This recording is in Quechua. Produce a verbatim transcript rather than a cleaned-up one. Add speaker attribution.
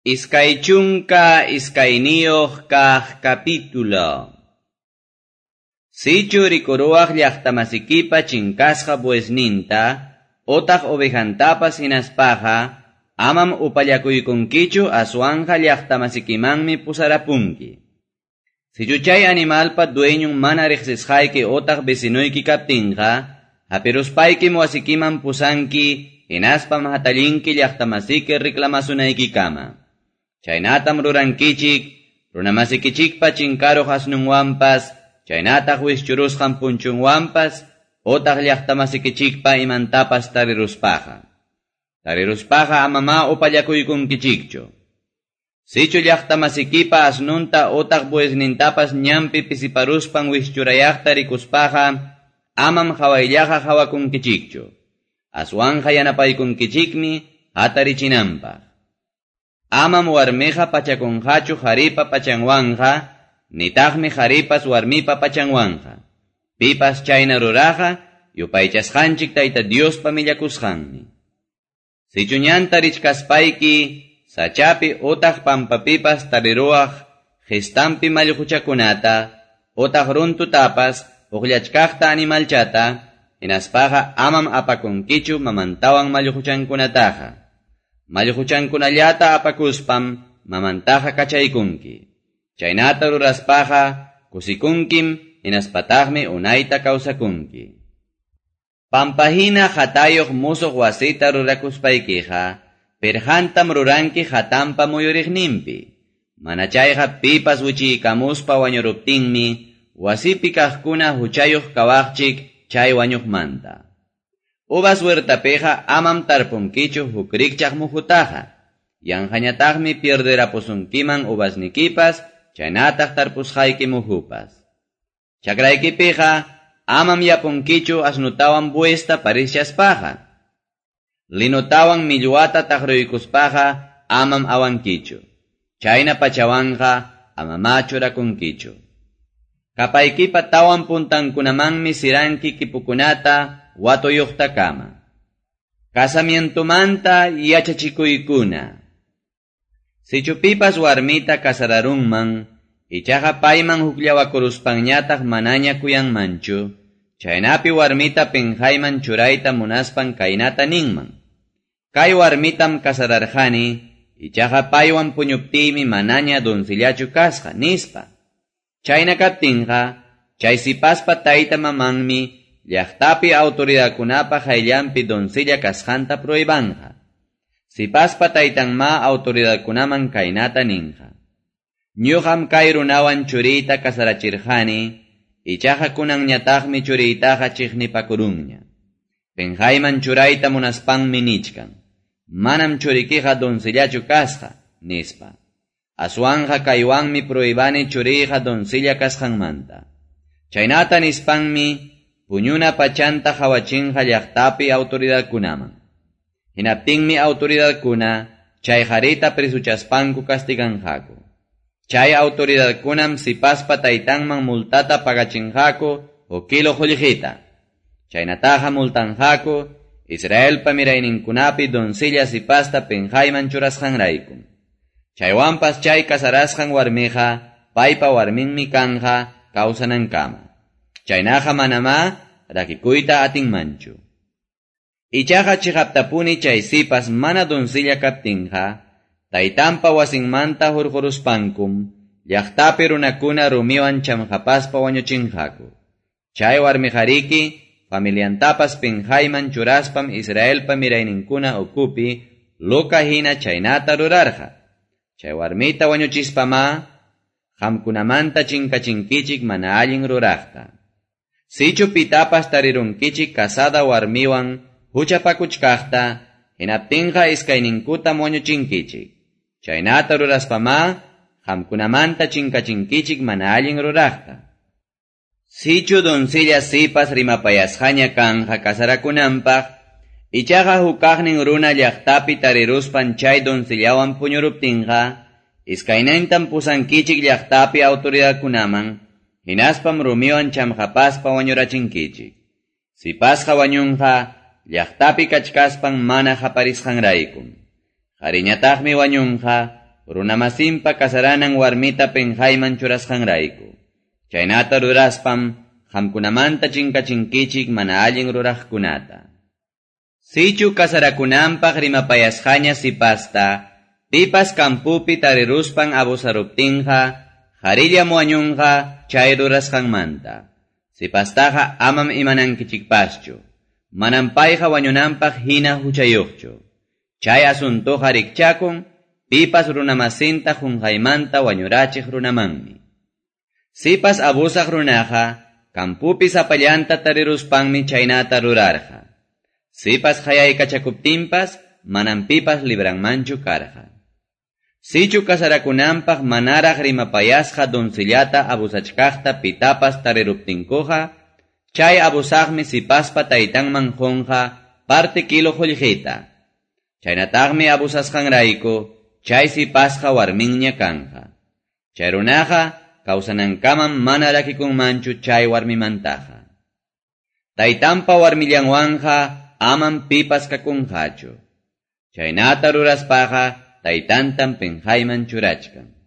Speaker 1: Iskay chunka iskayniyuq kaq capítulo. Sichu rikuruwaq llaqtamasikipa chinkasqa buesninta, otaq ovejantapas hinaspaqa, amam upallakuykunkichu aswanja llaqtamasikimanmi pusarapunki. Sichu chay animalpa dueñun mana riqsisqayki otaq vecinuyki kaptinqa, hapiruspaykim wasikiman pusanki, hinaspam hatallinki llaqtamasiki reclamasunaykikama. Chaynatam rurankichik, runamasikichikpa chinkaruq asnunwanpas, chaynataq wischurusqan punchunwanpas, otaq llaqtamasikichikpa imantapas tariruspaqa. Tariruspaqa amama upallakuykunkichikchu. Sichu llaqtamasikipa asnunta otaq buesnintapas ñanpi pisiparuspan wischurayaqta rikuspaqa, amam hawayllaqa hawakunkichikchu. Aswanja yanapaykunkichikmi hatarichinanpaq. Amam warmiqa pachakunqachu qharipa pachanwanqa, nitaqmi qharipas warmipa pachanwanqa. Pipas chayna ruraqa, yupaychasqanchik Tayta Diospa millakusqanmi. Sichu ñanta richkaspayki, sachapi otaq pampapipas tariruwaq qistampi mallquchakunata, otaq runtutapas uqllachkaqta animalchata, hinaspaqa amam apakunkichu mamantawan mallquchankunataqa. Mallquchankunallata apakuspam mamantaqa kachaykunki. Chaynata ruraspaqa kusikunkim hinaspataqmi unayta kawsakunki. Pampahina hatayuq musuq wasita rurakuspaykiqa, pirjantam ruranki hatampa muyuriqninpi. Mana chayqa pipas wichiykamuspa wañuruptinmi, wasipi kaqkuna huchayuq kawaqchik chay wañuqmanta. Uvas huertapiqa amam tarpunkichu huk rikchaq muhutaqa. Yanqañataqmi pierderapusunkiman uvasnikipas, chaynataq tarpusqayki muhupas. Chakraykipiqa amam yapunkichu asnutawan buesta parishaspaqa. Linotawan millwata taqruykuspaqa amam awankichu. Chayna pachawanqa amama churakunkichu. Kapaykipa tawan puntankunamanmi siranki kipukunata watuyuqtakama. Casamientomanta yachachikuykuna. Sichu pipas warmita casararunman, ichaqa payman hukllawakuruspanñataq manaña kuyanmanchu, chaynapi warmita pinqayman churayta munaspan kaynata ninman. Kay warmitam casararqani, ichaqa paywan puñuptiymi manaña doncillachu kasqa, nispa. Chayna kaptinqa, chay sipaspa tayta mamanmi llaqtapi autoridadkunapa qayllanpi doncella kasqanta prohibanja. Sipaspa taytanma autoridadkunaman kaynata ninqa. Ñuqam kay runawan churiyta casarachirqani, ichaqa kunanñataqmi churiytaqa chiqnipakurunña. Pinqayman churayta munaspanmi nichkan. Manam churikiqa doncellachu kasqa, nispa. Aswanja kaywanmi prohibani churiyqa doncella kasqanmanta. Chaynata nispanmi puñuna pachanta hawachinqa llaqtapi autoridadkunaman. Hinaptinmi autoridadkuna chay qharita presuchaspanku castiganqaku. Chay autoridadkunam sipaspa taytanman multata pagachinqaku huk kilo qullqita. Chaynataqa multanqaku Israelpa mirayninkunapi doncella sipasta pinqayman churasqanrayku. Chaywanpas chay casarasqan warmiqa paypa warminmi kanja kawsanankama. Chaynaqa manamá rakikuyta atinmanchu. Ichaqa chiqaptapuni chay sipas mana doncella kaptinqa, taytanpa wasinmanta hurquruspankum, llaqtapi runakuna rumiwan chamqapaspa wañuchinqaku. Chay warmiqariki, familiantapas pinqayman churaspam Israelpa mirayninkuna ukupi, loca hina chaynata rurarqa. Chay warmita wañuchispamá, qamkunamanta chinkachinkichik mana allin ruraqta. Sichu pitapas tarirunkichik casada warmiwan huchapakuchkaqta, hinaptinqa iskayninkutam wañuchinkichik. Chaynata ruraspamá, qamkunamanta chinkachinkichik mana allin ruraqta. Sichu doncella sipas rimapayasqaña kanja casarakunanpaq, ichaqa hukaqnin runa llaqtapi tariruspan chay doncellawan puñuruptinqa, iskaynintam pusankichik llaqtapi autoridadkunaman, hinaspam rumiwan chamqapaspa wañurachinkichik. Sipasqa wañunqa, llaqtapi kachkaspan mana qaparisqanraykum. Qhariñataqmi wañunqa, runamasinpa kasaranan warmita penqayman churasqanrayku. Chaynata ruraspam qamkunamanta chinkachinkichik mana allin ruraqkunata. Sichu kasarakunanpaq rimapayasqaña sipasta, pipas kampupi tariruspan abusaruptinqa, qarillam wañunqa chay rurasqanmanta. Sipastaqa amam imanankichikpaschu, manam payqa wañunanpaq hina huchayuqchu. Chay asuntuqa rikchakun, pipas runamasinta qunqaymanta wañurachiq runamanmi. Sipas abusaq runaqa, kampupi sapallanta tariruspanmi chaynata rurarqa. Sipas qayaykachakuptinpas, manam pipas libranmanchu karqa. Sichu kasarakunanpaq manaraq rimapayasqa doncellata abusachkaqta pitapas tariruptinkuqa, chay abusaqmi sipaspa taytanman qunqa parte kilo qullqita. Chaynataqmi abusasqanrayku, chay sipasqa warminña kanqa. Chay runaqa kawsanankamam mana rakikunmanchu chay warmimantaqa. Taytanpa warmillanwanqa amam pipas kakunqachu. Chaynata ruraspaqa taytantam penqayman churachkan.